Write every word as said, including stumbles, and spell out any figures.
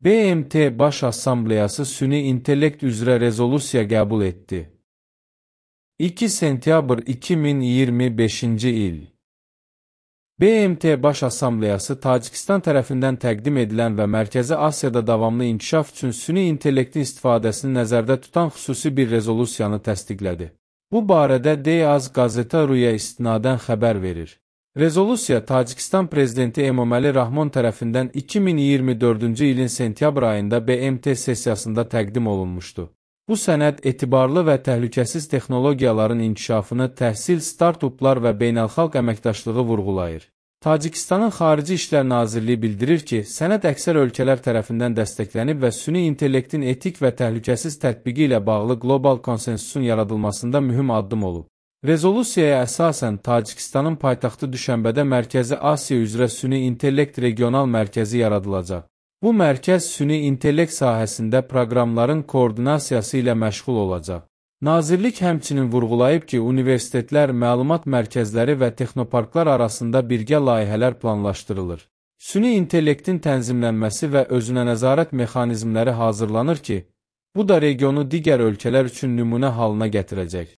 B M T Baş Assambleyası süni intellekt üzrə rezolusiya qəbul etdi. iki sentyabr iki min iyirmi beşinci il. B M T Baş Assambleyası Tacikistan tərəfindən təqdim edilən və Mərkəzi Asiyada davamlı inkişaf üçün süni intellektin istifadəsini nəzərdə tutan xüsusi bir rezolusiyanı təsdiqlədi. Bu barədə Deyaz Qazeta.ru-ya istinadən xəbər verir. Rezolusiya Tacikistan Prezidenti Emomali Rahmon tərəfindən iki min iyirmi dördüncü ilin sentyabr ayında B M T sessiyasında təqdim olunmuşdu. Bu sənəd etibarlı və təhlükəsiz texnologiyaların inkişafını, təhsil, start-uplar və beynəlxalq əməkdaşlığı vurğulayır. Tacikistanın Xarici İşlər Nazirliyi bildirir ki, sənəd əksər ölkələr tərəfindən dəstəklənib və süni intellektin etik və təhlükəsiz tətbiqi ilə bağlı qlobal konsensusun yaradılmasında mühüm addım olub. Rezolüsiyaya əsasən Tacikistanın paytaxtı Düşənbədə Mərkəzi Asiya üzrə süni intellekt regional mərkəzi yaradılacaq. Bu mərkəz süni intellekt sahəsində proqramların koordinasiyası ilə məşğul olacaq. Nazirlik həmçinin vurğulayıb ki, universitetlər, məlumat mərkəzləri və texnoparklar arasında birgə layihələr planlaşdırılır. Süni intellektin tənzimlənməsi və özünə nəzarət mexanizmləri hazırlanır ki, bu da regionu digər ölkələr üçün nümunə halına gətirəcək.